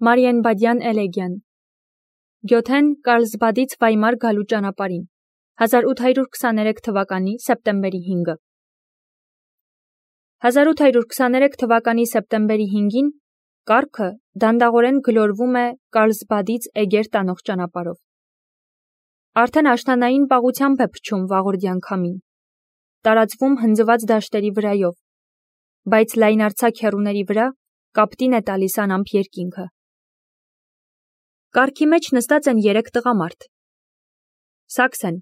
Մարիենբադյան էլեգիան Գյոթեն Կարլսբադից Վայմար գալու ճանապարհին 1823 թվականի սեպտեմբերի 5-ը 1823 թվականի սեպտեմբերի 5-ին կառքը դանդաղորեն գլորվում է Կարլսբադից Էգեր տանող ճանապարհով։ Արդեն աշնանային պաղությամբ է փչում վաղորդյան քամին, տարածվում հնձված դաշտերի վրայով, բայց լայնարձակ հեռուների վրա կապտին է տալիս անամպ երկինքը։ Կառքի մեջ նստած են 3 տղամարդ։ Սաքսեն,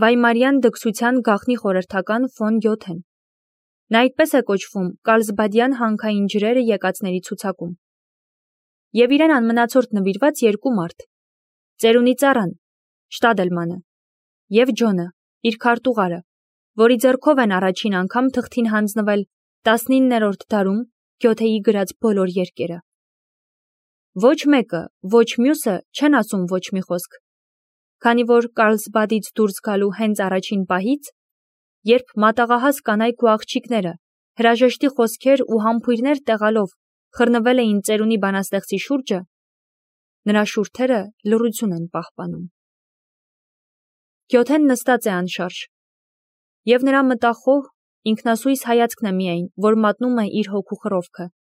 Վայմարյան դքսության գաղտնի խորհրդական ֆոն Գյոթեն։ Նա այդպես է կոչվում Կարլսբադյան հանքային ջրերը եկածների ցուցակում։ Եվ իրեն անմնացորդ նվիրված 2 մարդ՝ ծերունի ծառան, Շտադելմանը, և Ջոնը, իր քարտուղարը, որի ձեռքով են առաջին անգամ թղթին հանձնվել 19-րդ դարում Գյոթեի գրած բոլոր երկերը։ Ոչ մեկը, ոչ մյուսը չեն ասում ոչ մի խոսք, քանի որ Կարլսբադից դուրս գալու հենց առաջին պահից, երբ մատաղահաս կանայք ու աղջիկները հրաժեշտի խոսքեր ու համբույրներ տեղալով խռնվել էին ծերունի բանաստեղծի շուրջը, նրա շուրթերը լռություն են պահպանում։ Գյոթեն նստած է անշարժ, և նրա մտախոհ, ինքնասույս հայացքն է միայն, որ մատնում է իր հոգու խռովքը։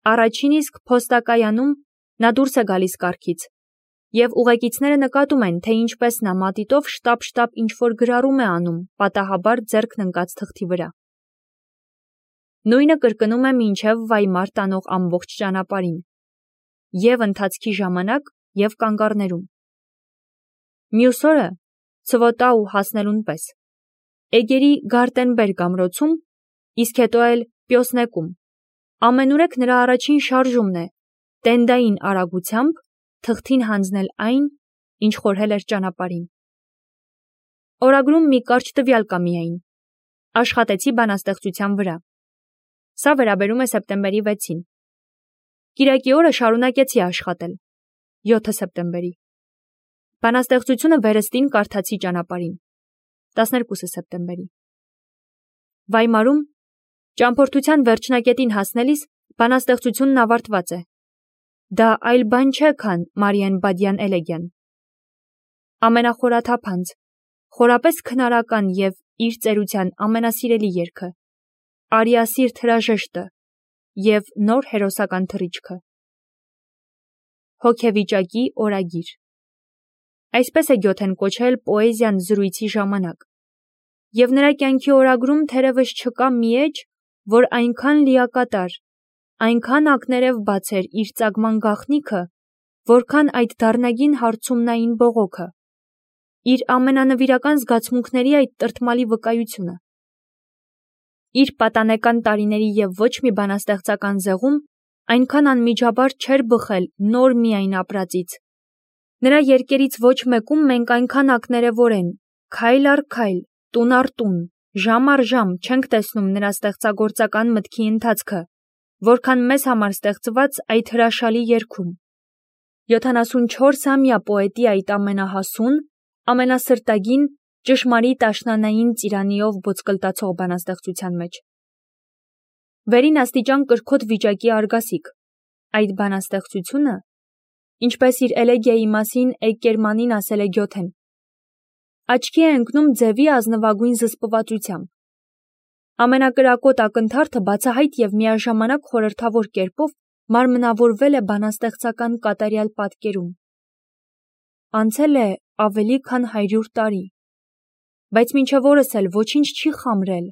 Առաջին իսկ փոստակայանում նա դուրս է գալիս կառքից, և ուղեկիցները նկատում են, թե ինչպես նա մատիտով շտապ-շտապ ինչ-որ գրառում է անում պատահաբար ձեռքն ընկած թղթի վրա։ Նույնը կրկնում է մինչև Վայմար տանող ամբողջ ճանապարհին, և ընթացքի ժամանակ, և կանգառներում։ Մյուս օրը, Ցվոտաու հասնելուն պես, Էգերի Գարտենբերգ ամրոցում, իսկ հետո էլ Պյոսնեկում, ամենուրեք նրա առաջին շարժումն է տենդային արագությամբ թղթին հանձնել այն, ինչ խորհել էր ճանապարհին։ Օրագրում մի կարճ տվյալ կա միայն. աշխատեցի բանաստեղծության վրա։ Սա վերաբերում է սեպտեմբերի 6-ին։ Կիրակի օրը շարունակեցի աշխատել, 7 սեպտեմբերի։ Բանաստեղծությունը վերստին կարդացի ճանապարհին, 12 սեպտեմբերի։ Վայմարում ճամփորդության վերջնակետին հասնելիս բանաստեղծությունն ավարտված է։ Դա այլ բան չէ, քան Մարիենբադյան էլեգիան։ Ամենախորաթափանց, խորապես քնարական և իր ծերության ամենասիրելի երգը, արիասիրտ հրաժեշտը և նոր հերոսական թռիչքը։ Հոգեվիճակի օրագիր։ Այսպես է Գյոթեն կոչել պոեզիան զրույցի ժամանակ, և նրա կյանքի օրագրում թերևս չկա մի էջ, որ այնքան լիակատար, այնքան ակներև բաց էր իր ծագման գաղտնիքը, որքան այդ դառնագին հարցումնային բողոքը, իր ամենանվիրական զգացմունքների այդ տրտմալի վկայությունը։ Իր պատանեկան տարիների և ոչ մի բանաստեղծական ձեղում այնքան անմիջաբար չէր բխել նոր միայն ապրածից։ Նրա երգերից ոչ մեկում մենք այնքան ակներևորեն, քայլ առ քայլ, տուն առ տուն, ժամ առ ժամ չենք տեսնում նրա ստեղծագործական մտքի ընթացքը, որքան մեզ համար ստեղծված այդ հրաշալի երգում։ 74-ամյա պոետի այդ ամենահասուն, ամենասրտագին, ճշմարիտ աշնանային ծիրանիով ոսկլտացող բանաստեղծության մեջ։ Վերին աստիճան կրքոտ վիճակի արգասիկ, այդ բանաստեղծությունը, ինչպես իր էլեգիայի մասին Էկկերմանին ասել է Գյոթեն, աչքի է ընկնում ձևի ազնվագույն զսպվածությամբ։ Ամենակրակոտ ակնթարթը բացահայտ և միաժամանակ խորհրդավոր կերպով մարմնավորվել է բանաստեղծական կատարյալ պատկերում։ Անցել է ավելի քան 100 տարի, բայց մինչև օրս էլ ոչինչ չի խամրել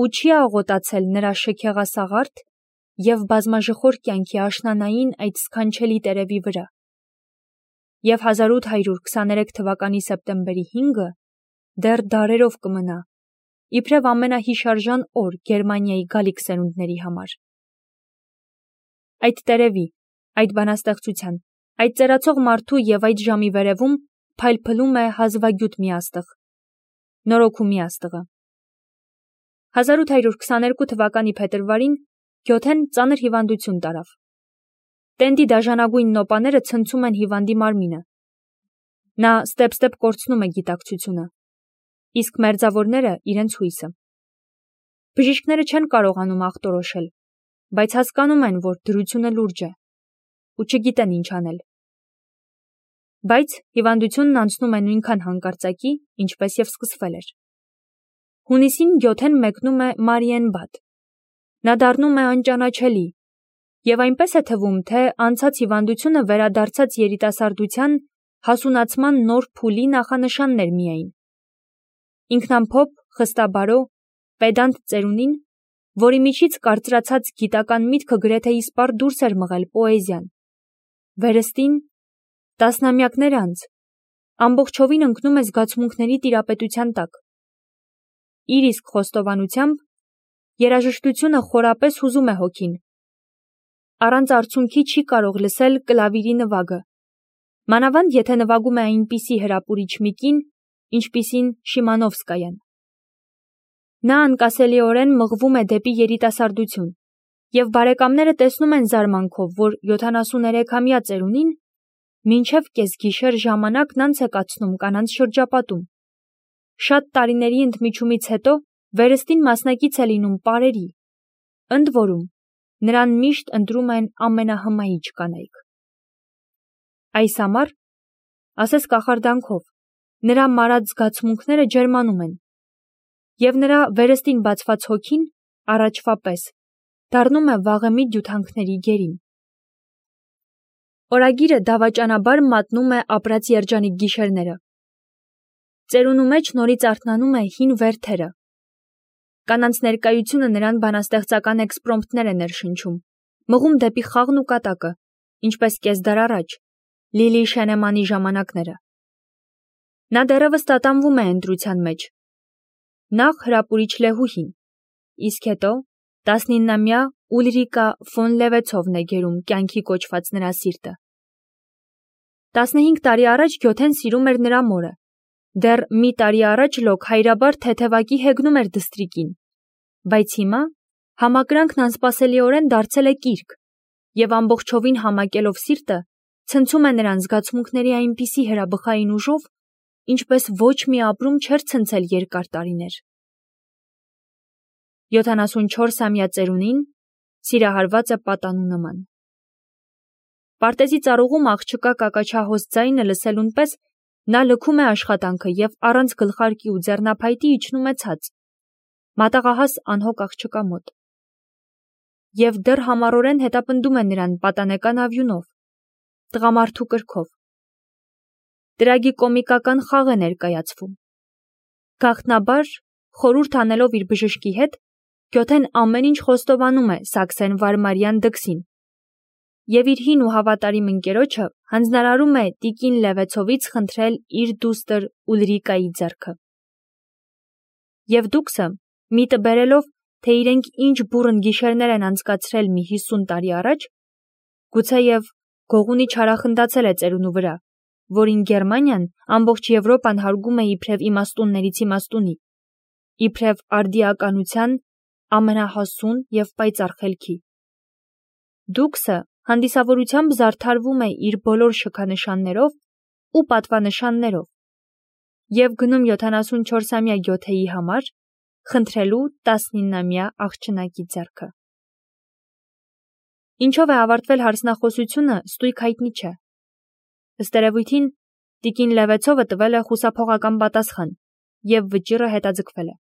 ու չի աղոտացել նրա շքեղասաղարթ և բազմաժխոր կյանքի աշնանային այդ սքանչելի տերևի վրա։ Եվ 1823 թվականի սեպտեմբերի 5-ը դեռ դարերով կմնա, իբրև ամենահիշարժան օր Գերմանիայի գալիք սերունդների համար։ Այդ տերևի, այդ բանաստեղծության, այդ ծերացող մարդու և այդ ժամի վերևում փայլփլում է հազվագյուտ մի աստղ, նորոգու մի աստղը։ 1822 թվականի փետրվարին Գյոթեն ծանր հիվանդություն տարավ։ Տենդի դաժանագույն նոպաները ցնցում են հիվանդի մարմինը։ Նա ստեպ-ստեպ կորցնում է գիտակցությունը, իսկ մերձավորները իրենց հույսը։ Բժիշկները չեն կարողանում ախտորոշել, բայց հասկանում են, որ դրությունը լուրջ է։ ու չգիտեն ինչ անել։ Բայց հիվանդությունն անցնում է նույնքան հանկարծակի, ինչպես եւ սկսվել էր։ Հունիսին Գյոթեն մեկնում է Մարիենբադ։ Նա դառնում է անճանաչելի, եւ այնպես է թվում, թե անցած հիվանդությունը վերադարձած երիտասարդության հասունացման նոր փուլի նախանշաններ միայն։ Ինքնամփոփ, խստաբարո, պեդանտ ծերունին, որի միջից կարծրացած գիտական միտքը գրեթե իսպառ դուրս էր մղել պոեզիան։ Վերստին, տասնամյակներ անց, ամբողջովին ընկնում է զգացմունքների տիրապետության տակ։ Իր իսկ խոստովանությամբ, երաժշտությունը խորապես հուզում է հոգին։ Առանց արցունքի չի կարող լսել կլավիրի նվագը, մանավանդ եթե նվագում է այնպիսի հրապուրիչ մի կին, ինչպիսին Շիմանովսկայան։ Նա անկասելիորեն մղվում է դեպի երիտասարդություն, եւ բարեկամները տեսնում են զարմանքով, որ 73-ամյա ծերունին մինչև կեսգիշեր ժամանակն անց է կացնում կանանց շրջապատում։ Շատ տարիների ընդմիջումից հետո վերստին մասնակից է լինում պարերի, ընդ որում նրան միշտ ընտրում են ամենահմայիչ կանայք։ Այս համար, ասես կախարդանքով, նրա մարած զգացմունքները ջերմանում են, եւ նրա վերստին բացված հոգին, առաջվա պես, դառնում է վաղեմի դյութանքների գերին։ Օրագիրը դավաճանաբար մատնում է ապրած երջանիկ գիշերները։ Ծերունու մեջ նորից արթնանում է հին վերթերը։ Կանանց ներկայությունը նրան բանաստեղծական էքսպրոմպտներ է ներշնչում, մղում դեպի խաղն ու կատակը, ինչպես կեսդար առաջ, Լիլի Շենեմանի ժամանակները։ Նա դեռևս տատանվում է ընտրության մեջ։ Նախ հրապուրիչ Լեհուհին, իսկ հետո 19-ամյա Ուլրիկա ֆոն Լևեցովն է գերում կյանքի կոչված նրա սիրտը։ 15 տարի առաջ Գյոթեն սիրում էր նրա մորը, դեռ մի տարի առաջ լոկ հայրաբար թեթևակի հեգնում էր դստրիկին, բայց հիմա համակրանքն անսպասելիորեն դարձել է կիրք, եւ ամբողջովին համակելով սիրտը, ցնցում է նրան զգացմունքների այնպիսի հրաբխային ուժով, ինչպես ոչ մի ապրում չէր ցնցել երկար տարիներ։ 74-ամյա ծերունին սիրահարված է պատանու նման։ Պարտեզի ծառուղում աղջկա կակաչահոս ձայնը լսելուն պես նա լքում է աշխատանքը եւ առանց գլխարկի ու ձեռնափայտի իջնում է ցած, մատաղահաս անհոգ աղջկա մոտ։ Եվ դեռ համառորեն հետապնդում է նրան պատանեկան ավյունով, տղամարդու կրքով։ Տրագիկոմիկական խաղ է ներկայացվում։ Գաղտնաբար, խորհուրդ անելով իր բժշկի հետ, Գյոթեն ամեն ինչ խոստովանում է Սաքսեն Վարմարյան դքսին, եւ իր հին ու հավատարիմ ընկերոջը հանձնարարում է տիկին Լևեցովից խնդրել իր դուստր Ուլրիկայի ձեռքը։ Եվ դուքսը, միտը բերելով, թե իրենք ինչ բուռն գիշերներ են անցկացրել մի 50 տարի առաջ, գուցեև գողունի չարախնդացել է ծերունու վրա, որին Գերմանիան ամբողջ Եվրոպան հարգում է իբրև իմաստուններից իմաստունի, իբրև արդիականության ամենահասուն եւ պայծառ խելքի։ Դուքսը հանդիսավորությամբ զարդարվում է իր բոլոր շքանշաններով ու պատվանշաններով եւ գնում 74-ամյա Գյոթեի համար խնդրելու 19-ամյա աղջնակի ձեռքը։ Ինչով է ավարտվել հարցնախոսությունը, ստույգ հայտնի չէ։ Ըստ երևույթին, տիկին Լևեցովը տվել է խուսափողական պատասխան եւ վճիռը հետաձգվել է։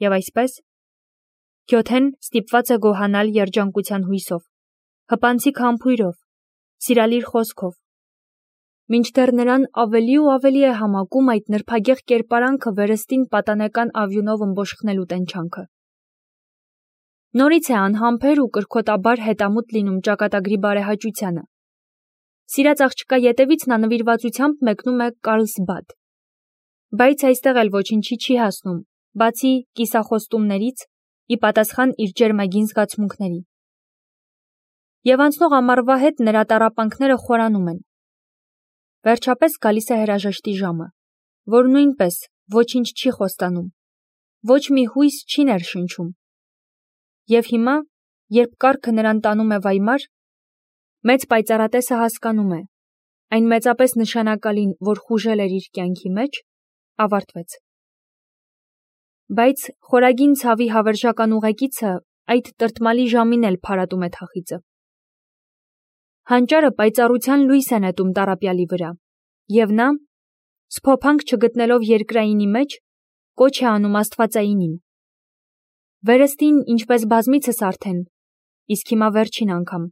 Եվ այսպես, Գյոթեն ստիպված է գոհանալ երջանկության հույսով, հպանցիկ համբույրով, սիրալիր խոսքով, մինչդեռ նրան ավելի ու ավելի է համակում այդ նրբագեղ կերպարանքը վերստին պատանեկան ավյունով ըմբոշխնելու տենչանքը։ Նորից է անհամբեր ու կրքոտաբար հետամուտ լինում ճակատագրի բարեհաճությանը։ Սիրած աղջկա ետևից նա նվիրվածությամբ մեկնում է Կարլսբադ, բայց այստեղ էլ ոչինչի չի հասնում, բացի կիսախոստումներից, ի պատասխան իր ջերմագին զգացմունքների։ Եվ անցնող ամառվա հետ նրա տառապանքները խորանում են։ Վերջապես գալիս է հրաժեշտի ժամը, որ նույնպես ոչինչ չի խոստանում, ոչ մի հույս չի ներշնչում։ Եվ հիմա, երբ կառքը նրան տանում է Վայմար, մեծ պայծառատեսը հասկանում է, այն մեծապես նշանակալին, որ խուժել էր իր կյանքի մեջ, ավարտվեց։ Բայց խորագին ցավի հավերժական ուղեկիցը այդ տրտմալի ժամին էլ փարատում է թախիծը։ Հանճարը պայծառության լույս է նետում տառապյալի վրա, և նա, սփոփանք չգտնելով երկրայինի մեջ, կոչ է անում աստվածայինին։ Վերստին ինչպես բազմիցս արդեն, իսկ հիմա վերջին անգամ։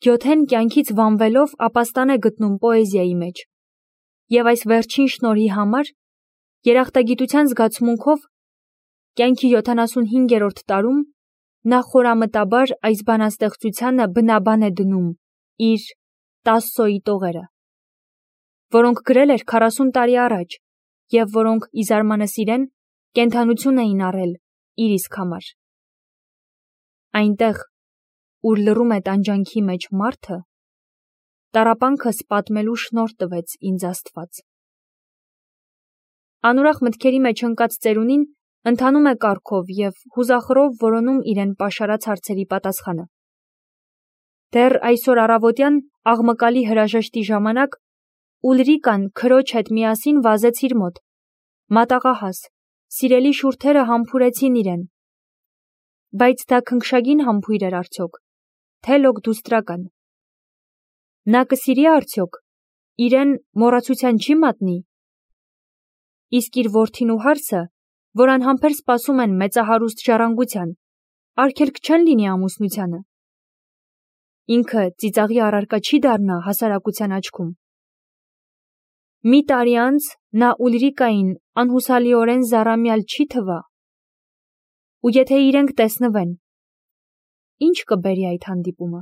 Գյոթեն կյանքից վանվելով ապաստան է գտնում պոեզիայի մեջ, և այս վերջին շնորհի համար, երախտագիտության զգացմունքով, կյանքի 75-րդ տարում, նա խորամտաբար այս բանաստեղծությանը բնաբան է դնում իր Տասսոյի տողերը, որոնք գրել էր 40 տարի առաջ և որոնք, ի զարմանս իրեն, կենդանություն էին առել իր իսկ համար։ Այնտեղ, ուր լռում է տանջանքի մեջ մարդը, տառապանքս պատմելու շնորհ տվեց ինձ Աստված։ Անուրախ մտքերի մեջ ընկած ծերունին ընթանում է կառքով և հուզախռով որոնում իրեն պաշարած հարցերի պատասխանը։ Դեռ այսօր առավոտյան աղմկալի հրաժեշտի ժամանակ Ուլրիկան քրոջ հետ միասին վազեց իր մոտ, մատաղահաս, սիրելի շուրթերը համբուրեցին իրեն, բայց դա քնքշագին համբույր էր արդյոք, թե լոգդուստրական։ Նա կսիրի արդյոք, իրեն մոռացության չի մատնի։ Իսկ իր որդին ու հարսը, որ անհամբեր սպասում են մեծահարուստ ժառանգության, արգելք չեն լինի ամուսնությանը։ Ինքը ծիծաղի առարկա չի դառնա հասարակության աչքում։ Մի տարի անց նա Ուլրիկային անհուսալիորեն զառամյալ չի թվա։ Ու եթե իրենք տեսնվեն, ի՞նչ կբերի այդ հանդիպումը։